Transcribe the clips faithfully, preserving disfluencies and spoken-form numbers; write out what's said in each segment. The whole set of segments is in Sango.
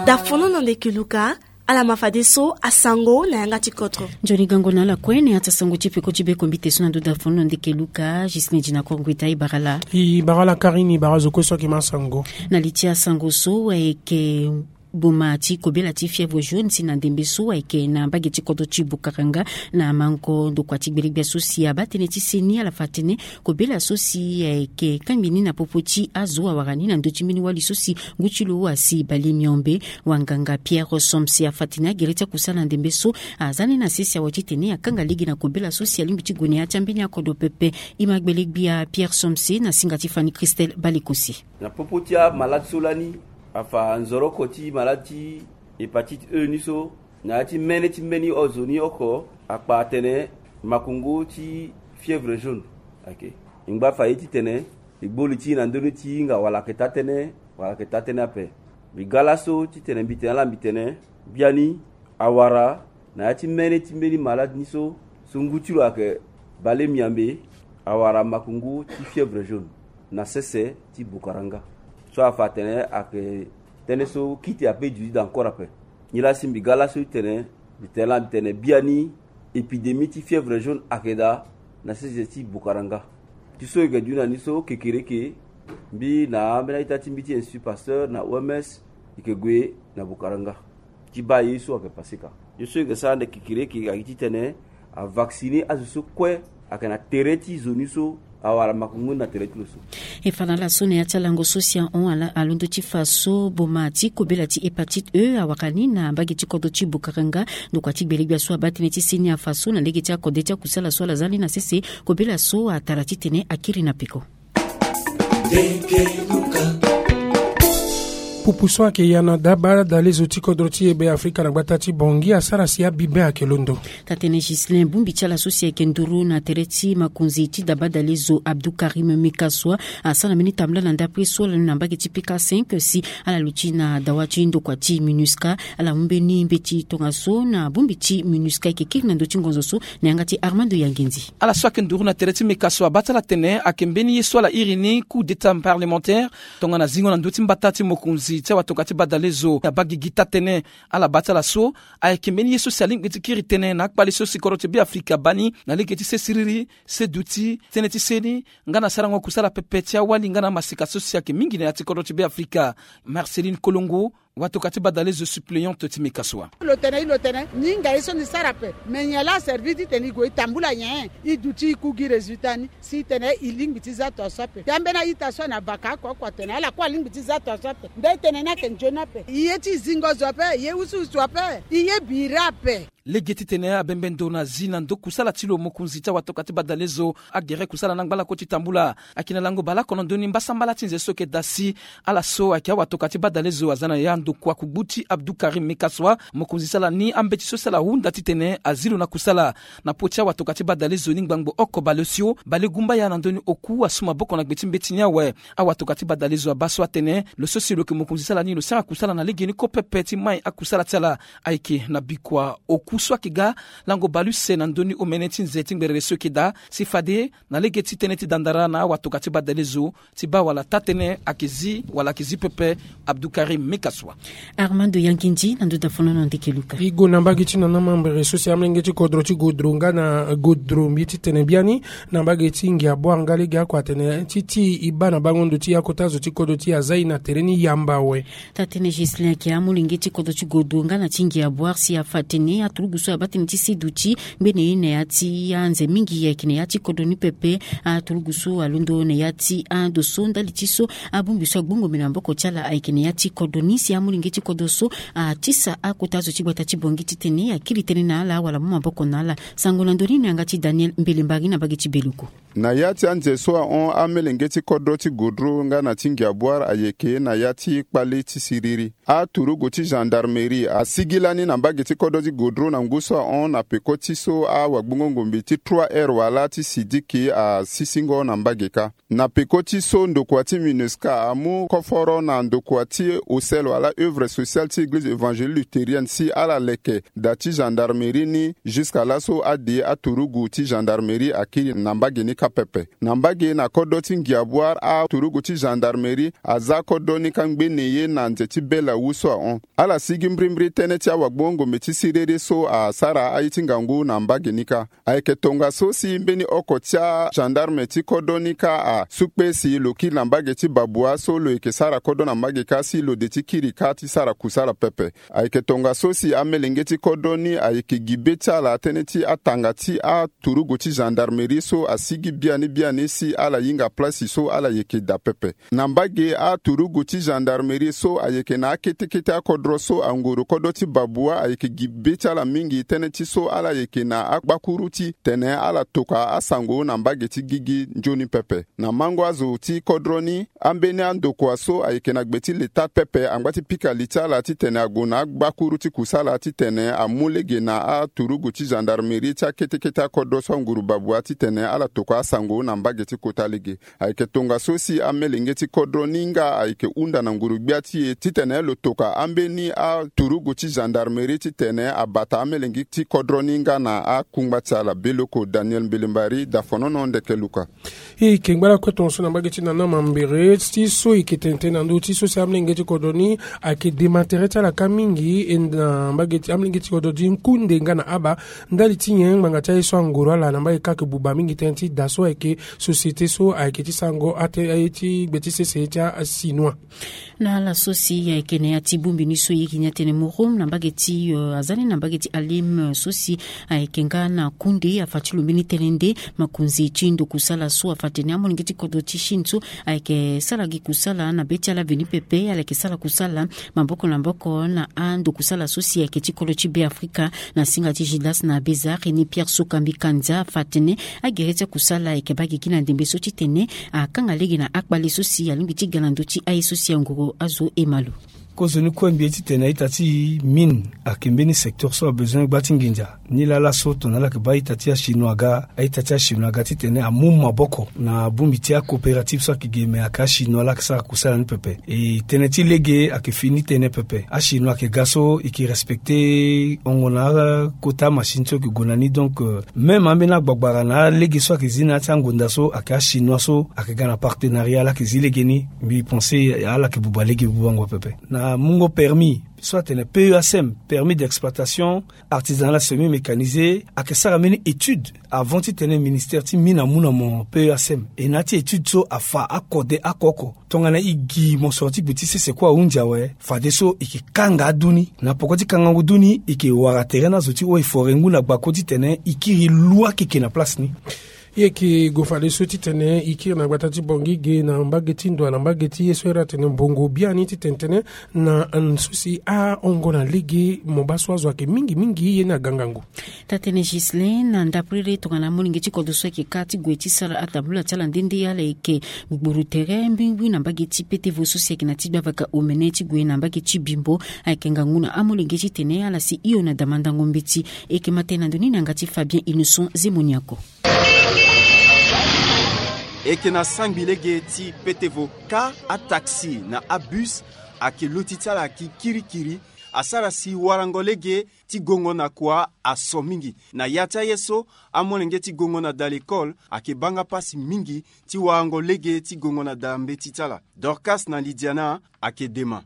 Dafono na ndeke luka. Ala ma fadeso asango na yanga ti kodro. Nzoni gango na ala kue na ya ti asango ti peko ti bekombi te so na ndo dafono na ndeke luka. Gisne dina kongo ita ibara la. Ibara la karini ibara zo kue so ake ma sango. Na li ti asango so ayeke boma ti kobela ti fièvre jaune si na ndembe so ayeke na mbage ti kodro ti bukaranga. Na mango ndokua ti gbelegbia so si abaa tënë ti seni ala fa tënë kobela so si ayeke kangbi ni na popo ti azo awara ni na ndö ti mbeni wali so si ngu ti lo asi bale miombe. Wanganga Pierre Somse afa tene agere ti akusala na ndembe so aza ni na sese awe titene akanga lege na kobela so si alingbi ti gue na ya ti ambeni akodro pepe. E ma gbele gbia Pierre Somse na singa ti Fanny Christelle Balekosi. Na popo ti amalade so lani afa nzoroko ti malade ti hépatite E ni so na ya ti mene ti mbeni ozo ni oko akpa atene makongo ti fièvre jaune. Ok. E ngba fa ye titene e gbo li ti e na ndö ni ti hinga wala ayeke taa tënë wala ayeke taa tënë ape. Mbi ga laso titene mbi tene ala mbi tene biani awara na ya ti mene ti mbeni malade ni so so ngu ti lo ayeke bale miambe awara makongo ti fièvre jaune na sese ti bukaranga. So afa atene ayeke tënë so kite ape duti daa encore ape. Nilaa si mbi ga laso ti tene mbi tene laa mbi tene biani épidémie ti fièvre jaune ayeke daa na sese ti bukaranga. Ti so e yeke duti na ni so kekereke mbi na ambeni a-ita ti mbi ti Institut Pasteur na O M S e yeke gue na bukaranga ti baa ye so ayeke pase ka. Ye so e yeke sara ande kekereke ayeke titene avacciner azo so kue ayeke na tere ti zo ni so awara makongo ni na tere ti lo so. E fa na ala so na ya ti alango so si ahon ala alondo ti fa so boma ti kobela ti hépatite E awara ni na mbage ti kodro ti bukaranga. Ndokua ti gbelegbia so abaa tënë ti seni afa so na lege ti akode ti akusala so ala za ni na sese kobela so atara titene akiri na peko. Pupu so ayeke ya na daba dalezo ti kodro ti e Be Afrika na gbata ti Bongi asara si abibe ayeke londo. Tatene Ghislain, bongbi ti ala so si ayeke nduru na tere ti makonzi ti daba dalezo Abdou Karim Mekaswa asara na mbeni tambula na ndapre so ala ni na mbage ti P K cinq si ala luti na dawa ti ndokua ti MINUSCA. Ala mu mbeni mbeti tongaso na bongbi ti MINUSCA ayeke kiri na ndö ti ngonzo so na yanga ti Armando Yangendi. Ala so ayeke nduru na tere ti Mekaswa abaa ti ala tene ayeke mbeni ye so ala iri ni coup d'état parlementaire tongana zingo na ndö ti mbata ti mokonzi ti awatokua ti badalezo abaa gigi taa-tënë. Ala baa ti ala so ayeke mbeni ye so si alingbi ti kiri tënë na akpale so si kodro ti Be Afrika abaa ni na lege ti se siriri, se duti, tënë ti seni nga na sarango kusala pepe ti awali nga na amaseka so si ayeke mingi na ya ti kodro ti Be Afrika. Marceline Kolongo, watokua ti badalezo suppléante ti Mekaswa. Lo tene e lo tene ni hinga ye so ni sara ape. Me nyen laa aservi titene e gue e tambula nyen? E duti e ku gi résultat ni si e tene e lingbi ti za tongaso ape. Te ambeni a-ita so na baka oko oko atene ala kue alingbi ti za tongaso ape. Nda e tene ni ayeke nzoni ape. E ye ti zingo zo ape, e ye usuusu ape, e ye bira ape. Lege titene abembe ndo na zi na ndo kusala ti lo mokonzi ti awatokua ti badalezo agere kusala na ngbalako ti tambula. Ayeke na lango baleoko na ndö ni mbasambala ti nze so ayeke daa si ala so ayeke awatokua ti badalezo aza na ya ndokua kugbu ti Abdou Karim Mekaswa. Mokonzi ti ala ni ambeti so si ala hunda titene azi lo na kusala. Na popo ti awatokua ti badalezo ni ngbangbo oko baleosio balegumbaya na ndö ni oku asu maboko na gbe ti mbeti ni awe. Awatokua ti badalezo abaa so atene lo so si lo yeke mokonzi ti ala ni lo sara kusala na legeni kue pepe ti mai akusala ti ala. Ayeke na bikua oku so ayeke ga lango baleuse na ndö ni omene ti nze ti ngberere so ayeke daa si fade na lege ti tënë ti dandara na awatokua ti badalezo ti baa wala taa-tënë ayeke zi wala ayeke zi pepe. Abdou Karim Mekaswa. Armando Yangendi na ndo dafono na ndeke luka. E gue na mbage ti nana mambere so si amolenge ti kodro ti godro nga na godro mbi titene biani na mbage ti ngia bwar nga lege oko atene ti ti e baa na bango ndo ti ya kota zo ti kodro ti e aza e na tere ni yamba awe. Tatene Ghislain ayeke amolenge ti kodro ti godro nga na ti ngia bwar si afa tene aturugu so abaa tënë ti seduti ngbene ye na ya ti anze mingi ayeke na ya ti kodro ni pepe. Aturugu so alondo na ya ti ando so ndali ti so abongbi so agbongo mbi na maboko ti ala ayeke na ya ti kodro ni si amolenge ti kodro so atisa akota zo ti gbata ti Bongi titene akiri tënë na ala wala amu maboko na ala. Sango na ndö ni na yanga ti Daniel Mbele Mbari na mbage ti Beluku. Na ya ti anze so ahon amelenge ti kodro ti godro nga na ti ngia bwar ayeke na ya ti kpale ti siriri. Aturugu ti gendarmerie asigi lani na mbage ti kodro ti godro na ngu so ahon na peko ti so awagbongo ngombe ti trois heures wala ti sidiki asisingo na mbage kâ. Na peko ti so ndokua ti MINUSCA amu koforo na ndokua ti osel wala œuvre sociale ti église évangélique luthérienne si ala leke da ti gendarmerie ni jusqu'à laso ade aturugu ti gendarmerie akiri na mbage ni. kâ pepe. Na mbage na kodro ti Ngiabuar, aturugu ti gendarmerie aza kodro ni kâ ngbene ye na nze ti bela wu so ahon. Ala sigi mbrimbri tënë ti awagbongo ngombe ti siriri so asara aye ti ngangu na mbage ni kâ. Ayeke tongaso si mbeni oko ti agendarme ti kodro ni kâ asukpe si lo kiri na mbage ti Babua so lo yeke sara kodro na mbage kâ si lo de ti kiri kâ ti sara kusala pepe. Ayeke tongaso si amelenge ti kodro ni ayeke gi be ti ala tënë ti atanga ti aturugu ti gendarmerie so asigi biani biani si ala hinga place so ala yeke daa pepe. Na mbage, aturugu ti gendarmerie so ayeke na akete kete akodro so anguru kodro ti Babua ayeke gi be ti ala mingi tënë ti so ala yeke na agbakuru ti tene ala tokua asango na mbage ti gigi nzoni pepe. Na mango azo ti kodro ni, ambeni andokua so ayeke na gbe ti leta pepe angba ti pika li ti ala titene ague na agbakuru ti kusala titene amu lege na aturugu ti gendarmerie ti akete kete akodro so anguru Babua titene ala tokua asango na mbage ti kota lege. Ayeke tongaso si amelenge ti kodro ni nga ayeke hunda na nguru-gbia ti e titene lo tokua ambeni aturugu ti gendarmerie titene abata amelenge ti kodro ni nga na akungba ti ala. Beloko Daniel Mbelembari, Dafonono, Ndeke Luka. E yeke ngba lakue tongaso na mbage ti Nana Mambere ti so e yeke tene tënë na ndö ti so si amelenge ti kodro ni ayeke dema tere ti ala kâ mingi, e na mbage ti amelenge ti kodro ti Nkunde nga na Aba. Ndali ti nyen ngbanga ti aye so angoro ala na mbage kâ ayeke buba mingi tënë ti da so ayeke société so ayeke ti sarango ate aye ti gbe ti sese ti achinois. Na ala so si ayeke na ya ti bongbi ni so e yeke ni atene Morom na mbage ti, eh, aza ni na mbage ti Alim, eh, so si ayeke nga na Kunde afa ti lo mbeni tënë nde makonzi ti ndokusala so afa tene amolenge ti kodro ti Chine so ayeke sara gi kusala na be ti ala veni pepe, ala yeke sara kusala maboko na maboko na andokusala so si ayeke ti kodro ti Be Afrika na singa ti Gildas na Bézard, René Pierre Sokambi Kanza afa tene agere ti akusala ayeke baa gigi na ndembe so titene akanga lege na akpale so si alingbi ti ga na ndö ti aye so si angoro azo ema lo. Kozoni kue mbi ye titene a-ita ti mine ayeke mbeni secteur so abezoin gba ti nginza. Nilaa laso tongana ala yeke baa a-ita ti achinois aga, a-ita ti achinois aga titene amu maboko na bongbi ti acoopérative so ayeke ge me ayeke achinois laa ayeke sara kusala ni pepe. E tënë ti lege ayeke fini tënë pepe. Achinois ayeke ga so e yeke respecté hongo na akota amachine so e yeke gue na ni. Donc, euh, même ambeni agbagbara na alege so ayeke zi na ya ti angonda so ayeke achinois so ayeke ga na partenariat laa ayeke zi lege ni. Mbi pensé ala yeke buba lege bubango pepe. Na mungo permis so atene P E A C M, permis d'exploitation artisanale semi mécanisé, ayeke sara mbeni étude avant titene ministère ti mine amu na mo P E A C M. E na ya ti étude so afa akode oko oko. Tongana e gi mosoro ti gbe ti sese kue ahunzi awe, fadeso e yeke kanga adu ni. Na poko ti kangango du ni, e yeke wara tere na azo ti eaux et forêts ngu na gbako titene e kiri lu akeke na place ni. E yeke gue fadeso titene e kiri na gbata ti Bangui ge na mbage ti ndo na mbage ti ye so iri atene Mbongo biani titene tene na so si ahongo na lege mo baa so azo ayeke mingi mingi ye ni aga ngangu. Taa-tënë Ghislain na ndapiriri tongana molenge ti kodro so ayeke kâ ti gue ti sara atabula ti ala nde nde ala yeke gbugburu tere mbirimbiri na mbage ti Petevo so si ayeke na ti gbavaka omene ti gue na mbage ti Bimbo. Ayeke ngangu na amolenge titene ala si hio na damandango mbeti. E yeke ma tënë na ndo ni na yanga ti Fabien Innocent Zemoniako. E yeke na sangbi lege ti Petevo kâ, ataxi na abus ayeke loti ti ala ayeke kirikiri. Asara si warango lege ti gongo na kua aso mingi. Na ya ti aye so, amolenge ti gongo na da lekole ayeke baa nga pasi mingi ti warango lege ti gongo na da mbeti ti ala. Dorcas na Lydiana ayeke dema.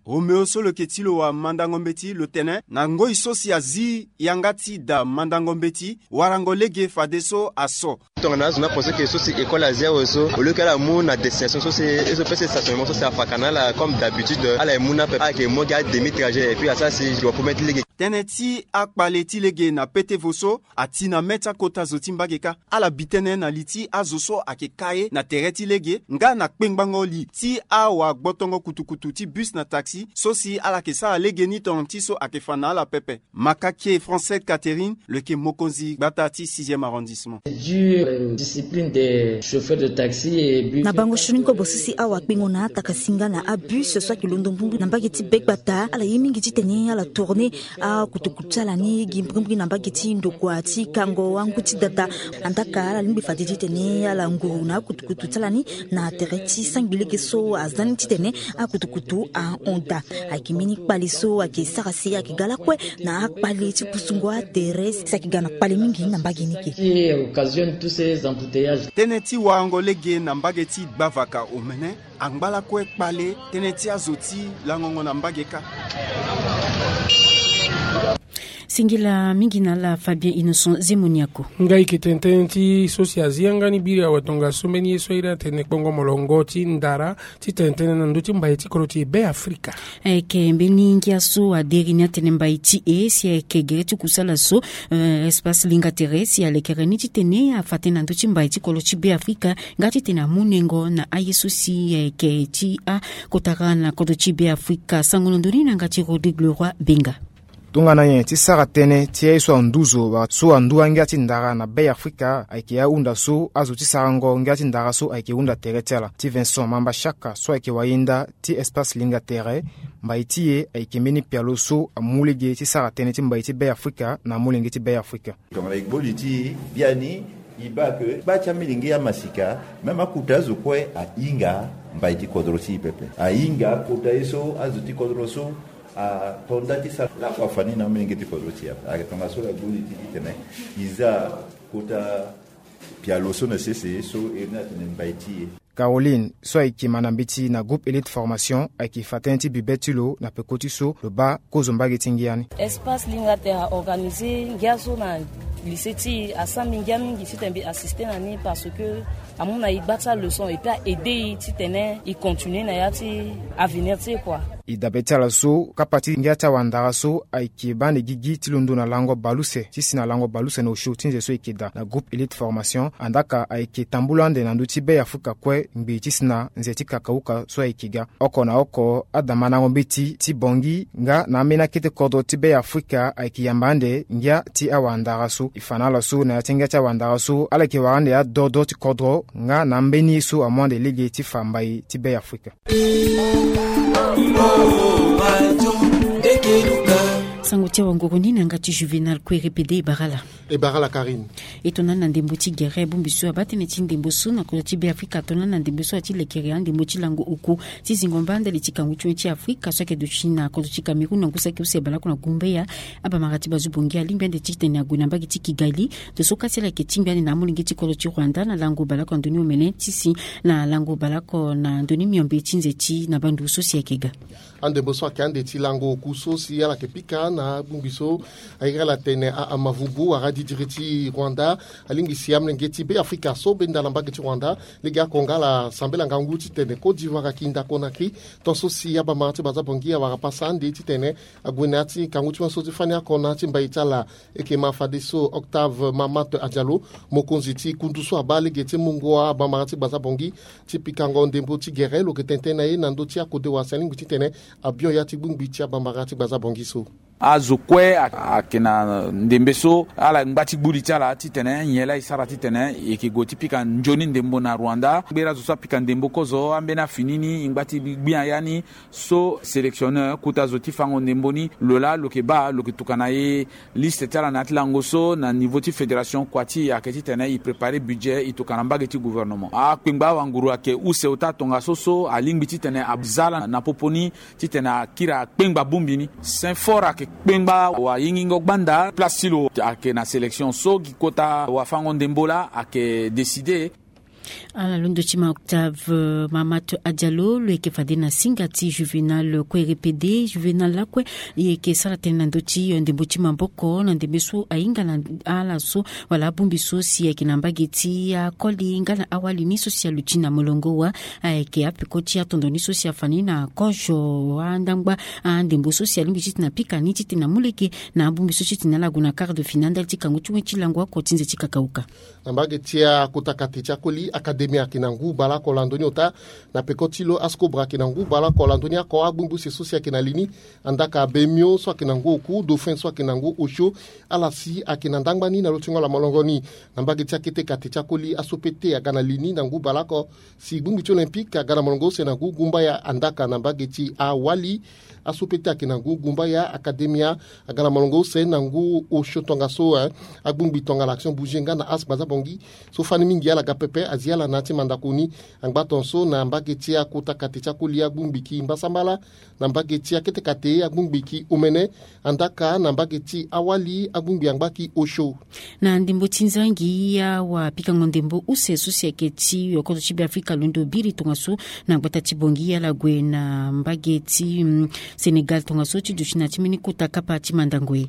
Romeo so lo yeke ti lo wamandango mbeti lo tene na ngoi so si azi yanga ti da mandango mbeti, warango lege fadeso aso. Tongana azo ni apense ke so si école azi awe so, au lieu ke ala mu na destination so si e so pese stationnement so si afaka na ala comme d'habitude, ala ye mu ni ape, ala yeke mu gi ademi trajet et puis asara si e gue apomer ti lege. Tënë ti akpale ti lege na Petevo so ati na me ti akota zo ti mbage kâ. Ala bi tënë na li ti azo so ayeke kâ ye na tere ti lege nga na kpengbango li ti awagbotongo kutukutu ti bus na taxi so si ala yeke sara lege ni tongana ti so ayeke fa na ala pepe. Makakie Francette Catherine lo yeke mokonzi gbata ti sixième arrondissement. Dur, euh, discipline des chauffeurs de taxi et bus. Na bango sioni kobo so si awakpengo na atakasi nga na abus so ayeke londo mbrimbri na mbage ti begbata, ala ye mingi titene ala tourner akutukutu ti ala ni gi mbrimbri na mbage ti ndokua ti kango angu ti dada. Andaa ka ala lingbi fade titene ala nguru na akutukutu ti ala ni na tere ti sangbi lege so aza ni titene akutukutu ahon Ayeke mbeni kpale so ayeke sara si ayeke ga lakue na akpale ti pusungo atere si ayeke ga na kpale mingi na mbage ni ke. Occasionne tous ces embouteillages. Tënë ti warango lege na mbage ti gbavaka omene angba lakue kpale tënë ti azo ti langongo na mbage kâ. Singila mingi na ala Fabien Innocent Zemoniako. Ngai yeke tene tënë ti so si azi yanga ni biri awe tongaso mbeni ye so ayeda atene kpongo molongo ti ndara ti tene tënë na ndö ti mbai ti kodro ti Beafrika. Ayeke mbeni ngia so aderi ni atene mbai ti e si ayeke gere ti kusala so, eh, Espace Linga Tere si alekere ni titene afa tënë na ndö ti mbai ti kodro ti Beafrika nga titene amu nengo na aye so si ayeke ti akotara na kodro ti Beafrika. Sango na ndö ni na yanga ti Rodrigue Leroy Benga. Tongana nyen ti sara tënë ti aye so anduzo wala so andu angia ti ndara na Beafrika ayeke ahunda so azo ti sarango ngia ti ndara so ayeke hunda tere ti ala. Ti Vincent Mamba Shaka so ayeke wayenda ti Espace Linga Tere, mbai ti e ayeke mbeni pialo so amu lege ti sara tënë ti mbai ti Beafrika na amolenge ti Beafrika. Tongana e gboli ti e biani, e baa ke gba ti amilenge amasika, même akota azo kue ahinga mbai ti kodro ti e pepe. Ahinga kota ye so azo ti kodro so ato nda ti sara lakue afa ni na amilenge ti kodro ti e ape. Ayeke tongaso la gboli ti e titene e za kota pialo so na sese so e na tene mbai ti e. Caroline so ayeke ma na mbeti na groupe Elite Formation ayeke fa tënë ti bibe ti lo na peko ti so lo baa kozo mbage ti ngia ni. Espace Linga Tere a organiser ngia so na lycée ti e, asara mbi ngia mingi titene mbi assister na ni parce que amu na e gba ti aleçon et puis a aider e titene e continuer na ya ti avenir ti e kua. E dabe ti ala so kapa ti ngia ti awandara so ayeke baa ande gigi ti londo na lango baleuse ti si na lango baleuse na osio ti nze so e yeke daa na groupe Elite Formation. Andaka ayeke tambula ande na ndö ti Beafrika kue ngbii ti si na nze ti kakauka so ayeke ga. Oko na oko adamandango mbeti ti Bangui nga na ambeni akete kodro ti Beafrika ayeke yamba ande ngia ti awandara so. E fa na ala so na ya ti ngia ti awandara so ala yeke wara ande adodo ti kodro nga na ambeni ye so amu ande lege ti fa mbai ti Beafrika. Sango ti awanguru ni na yanga ti Juvenal Kouéré Pede e bara ala. E bara ala Karine. E tongana na ndembo ti gere bongbi so abaa tënë ti ndembo so na kodro ti Beafrika, tongana na ndembo so ati lekere andembo ti lango oku ti zingo mba ndali ti kangu ti wen ti Afrika so ayeke duti na kodro ti Cameroun na ngu saki use baleoko na Gumbeya. Abamara ti bazo Bangui alingbi ande titene ague na mbage ti Kigali. Ndo so kâ si ala yeke tingbi ande na amolenge ti kodro ti Rwanda na lango baleoko na ndö ni omene ti si na lango baleoko na ndö ni miombe ti nze ti na bandu so si ayeke ga. Andembo so ayeke ande ti lango oku so si ala yeke pika na abongbi so airi ala tene a, a Mavubu wala didiri ti Rwanda alingbi si amolenge ti Beafrika so benda na mbage ti Rwanda lege ako nga ala sambela ngangu titene Côte d'Ivoire akinda Conakry. Ton so si abamara ti baza Bangui awara pasa ande titene ague na ya ti kangu ti wen so ti fani oko na ya ti mbai ti ala. E yeke ma fadeso Octave Mamat Adialo, mokonzi ti kundu so abaa lege ti mungo abamara ti gbaza Bangui ti pikango ndembo ti gere lo yeke tene tënë na ye na ndö ti akode wala si alingbi titene abion ya ti gbongbi ti abamara ti gbaza Bangui so. Azo kue a, ayeke na ndembe so ala ngba ti gbu li ti ala titene nyen laa e sara titene e yeke gue ti pika nzoni ndembo na Rwanda. Ngbeni azo so apika ndembo kozo ambeni afini ni e ngba ti gbia ya ni. So sélectionneur kota zo ti fango ndembo ni lo laa lo yeke baa lo yeke tokua na e liste ti ala na ya ti lango so na niveau ti fédération kua ti e ayeke titene e préparer budget e tokua na mbage ti gouvernement. Akpengba awanguru ayeke use ota tongaso so alingbi titene aza ala na popo ni titene akiri akpengba bongbi ni. Saint-Fort ayeke kpengba wayingingo gbanda place ti lo ayeke na sélection so gi kota wafango ndembo laa ayeke décider. Ala londo ti ma Octave Mamat Adialo lo yeke fade na singa ti Juvenal Kouéré Pede. Juvenal lakue e yeke sara tënë na ndö ti ndembo ti maboko na ndembe so ahinga na ala so wala abongbi so si ayeke na mbage ti akoli nga na awali ni so si aluti na molongo wa. Ayeke apeko ti atondo ni so si afa ni na kozo andangba andembo so si alingbi titene apika ni titene amu lege na abongbi so titene ala gue na quart de finale ndali ti kangu ti wen ti lango oko ti nze ti kakauka. Na mbage ti akota kate ti akoli Académie ayeke na ngu baleoko lando ni ota. Na peko ti lo Ascobra ayeke na ngu baleoko lando ni oko. Agbongbi use so si ayeke na li ni, Andaka Bemio so ayeke na ngu oku, Dauphin so ayeke na ngu osio. Ala si ayeke na ndangba ni na lo ti ngolo ya molongo ni. Na mbage ti akete kate ti akoli Asopete aga na li ni na ngu baleoko. Si gbongbi ti Olympique aga na molongo use na ngu gumbaya. Andaka na mbage ti awali, Asopete ayeke na ngu gumbaya, Académie aga na molongo use na ngu osio tongaso, eh, agbongbi tongana Action Bougie nga na As Gbaza Bangui so fani mingi ala ga pepe. Zi ala na ya ti mandako ni angba tongaso na mbage ti akota kate ti akoli agbongbi ki mbasambala, na mbage ti akete kate agbongbi ki omene, andaka na mbage ti awali agbongbi angba ki osio. Na ndembo ti nzangi awa pikango ndembo use so si ayeke ti yokoto ti Beafrika londo biri tongaso na gbata ti Bongi ala gue na mbage ti mm, Sénégal tongaso ti duti na ti mbeni kota kapa ti mandango ye.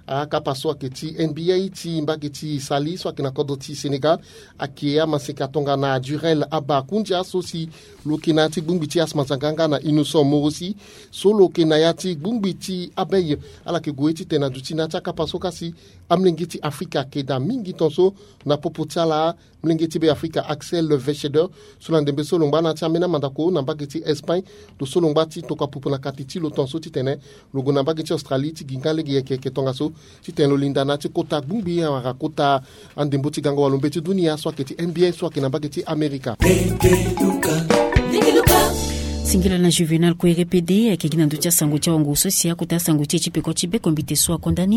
Akapa so ayeke ti N B A ti mbage ti Saly so ayeke na kodro ti Sénégal ayeke amaseka tongana Durel Abba Koundia so si lo yeke na ya ti gbongbi ti Asma Zanga nga na Innocent Morosi so lo yeke na ya ti gbongbi ti Abei. Ala yeke gue titene na duti na ya ti akapa so kasi amolenge ti Afrika ayeke daa mingi tongaso na popo ti ala. Molenge ti Beafrika Axel Vechedeur so na ndembe so lo ngba na ya ti ambeni amandako na mbage ti Espagne, lo so lo ngba ti tokua pupu na kati ti lo tongaso titene lo gue na mbage ti Australie ti gi nga lege yeke yeke tongaso titene lo linda na ya ti kota gbongbi wala kota andembo ti gango walo mbeti dunia so ayeke ti N B A so ayeke na mbage ti Amerika. Singila na Juvenal Kouere pede ayeke gi na ndö ti asango ti awango so si akota asango ti e ti peko ti bekombite so akonda ni.